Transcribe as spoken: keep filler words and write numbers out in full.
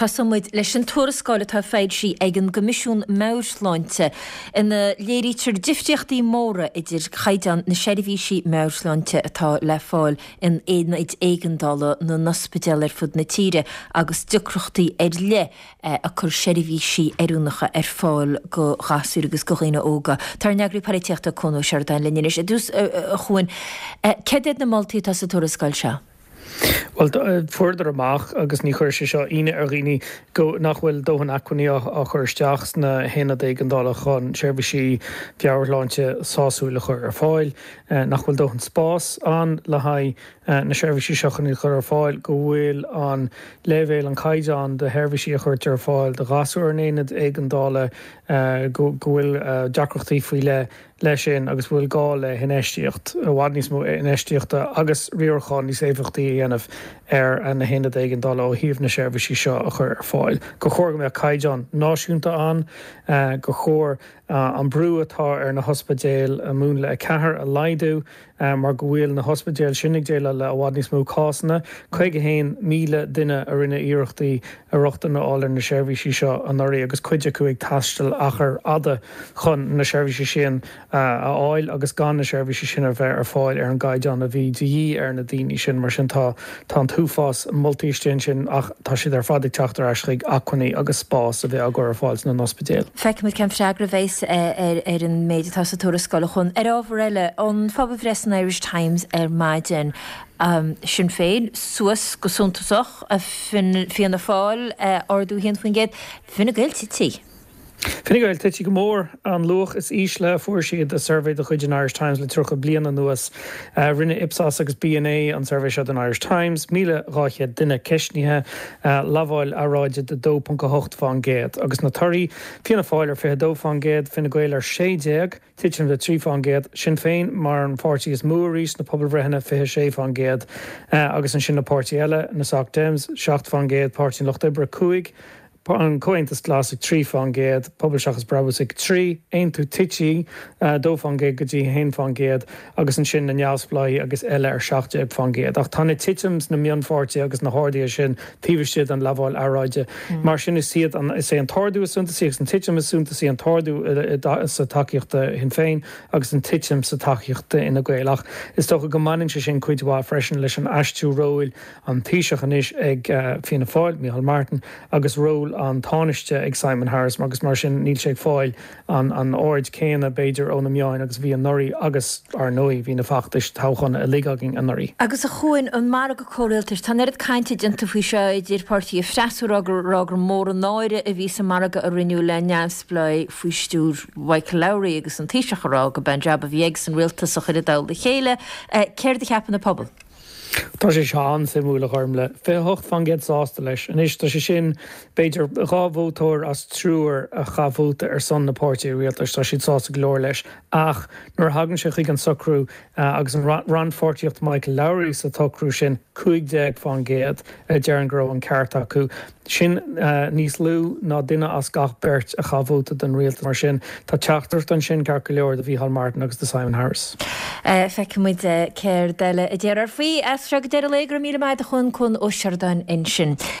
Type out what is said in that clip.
Tosóidh muid leis an tuarascáil atá foilsithe ag an gCoimisiún Meabhairshláinte ina léirítear difríochtaí móra idir chaighdeán na seirbhísí meabhairshláinte atá le fáil in aonaid éigeandála na n-ospidéal ar fud na tíre agus deacrachtaí ar leith ag cur seirbhísí oiriúnacha ar fáil go ghasúir agus go dhaoine óga. Tá ár n-eagraí polaitíochta Cuan Ó Seireadáin linn anois. I dtús a Chuain, céard iad na moltaí atá sa tuarascáil seo? Well fuaireadar amach agus ní chuir sé seo ionadh ar dhaoine go nach bhfuil dóthain acmhainní á chur isteach sna haonaid éigeandála chun seirbhísí meabhairshláinte sásúil a chur ar fáil, nach bhfuil dóthain spás ann le haghaidh na seirbhísí seo chun chur ar fáil, go bhfuil an leibhéal an caighdeán de sheirbhísí a chuirtear ar fáil do ghasúir in aonaid éigeandála go bhfuil deacrachtaí faoi leith leis sin agus bhfuil gá le hinfheistíocht i bhfad níos mó infheistíochta agus riarachán níos éifeachtaí a dhéanamh ar na haonaid éigeandála ó thaobh na seirbhísí seo a chur ar fáil. Gur chóir go mbeadh caighdeán náisiúnta ann, gur chóir an brú atá ar na hospidéil a múnla a ceathair a laghdú mar go bhfuil na hospidéil sin ag déileáil le i bhfad níos mó cásanna. Caoga haon míle duine a rinne iarrachtaí a rochtain a fháil ar na seirbhísí seo anuraidh agus cuid acu ag taisteal achar fhada chun na seirbhísí sin a fháil agus gan na seirbhísí sin a bheith ar fáil ar an gcaighdeán a bhí de dhíth ar na daoine sin mar sin tá tá an t-uafás moltaí istigh ansin ach tá siad ar fad ag teacht ar ais chuig acmhainní agus spás a bheith á gcur ar fáil sna n-ospidéil. Feicfimid cén freagra a bheas ar ar an méid atá sa tuarascáil a Chuain. Ar ábhar eile, an phobalbhreith san Irish Times ar maidin, Sinn Féin suas go suntasach, Fianna Fáil ardú a haon faoin gcéad, Fine Gael tite. Fine Gael tite go mór an luach is ísle a fuair siad i suirbhé de chuid an Irish Times le tríocha bliain anuas. Rinne Ipsos agus BNA an suirbhé seo don Irish Times, míle dhá chéad duine ceistnithe, lamháil earráide de dó ponc a hocht fán gcéad. Agus na torthaí, Fianna Fáil ar fiche dó fán gcéad, Fine Gael ar sé déag, titim de trí fán gcéad, Sinn Féin mar an pháirtí is mó arís sna pobalbhreitheanna, fiche sé fán gcéad, agus ansin na páirtí eile, na Soc Dems, seacht fán gcéad, Páirtí an Lucht Oibre, cúig, an Comhaontas Glas ag trí fán gcéad, Pobal Seachas Brabús ag trí, Aontú tite dó fán gcéad go dtí a haon fán gcéad agus ansin na neamhspleáigh agus eile ar seacht déag fán gcéad. Ach tá na titim sna mionpháirtithe agus na harduithe sin taobh istigh den lamháil earráide. Mar sin is iad an is é an t-ardú is suntasaí agus an titim is suntasaí an t-ardú sa tacaíocht do Shinn Féin agus an titim sa tacaíocht d'Fhine Gael. Ach is dócha go mbaineann sé sin cuid mhaith freisin leis an aistriú róil an Taoiseach anois ag Fianna Fáil, Micheál Martin, agus ról an Tánaiste ag Simon Harris agus mar sin níl sé ag fáil an an aird céanna b'fhéidir ó na meáin agus a bhí anuraidh agus ar ndóigh bhí na feachtais toghcháin uilig againn anuraidh. Agus a Chuain, an margadh comhrialtais, tá an oiread cainte déanta faoi seo idir páirtithe freasúra ag rá gur mór an náire a bhí sa margadh a rinneadh le neamhspleáigh faoi stiúir Michael Lowry agus an Taoiseach ag rá go b'é an jab a bhí aigesan rialtas a chur i dtoll a chéile. Céard a cheapann an pobal? Tá sé seo an-suimiúil a Ghormlaith. fiche a hocht faoin gcéad sásta leis. Anois tá sé sin b'fhéidir dhá vótóir as triúr a chaith vóta ar son na páirtí rialtais, tá siad sásta go leor leis. Ach nuair a thagann sé chuig an socrú agus an rannpháirtíocht Michael Lowry sa tsocrú sin, cúig déag faoin gcéad a deireann go raibh an ceart acu. Sin níos lú ná duine as gach beirt a chaith vóta don rialtas. Mar sin, tá teachtaireacht ansin ceart go leor do Mhícheál Martin agus do Simon Harris. Feicfidh muid céard eile a déarfar faoi as seo go deireadh an lae. Go raibh míle maith agat a Chuain, Cuan Ó Seireadáin ansin.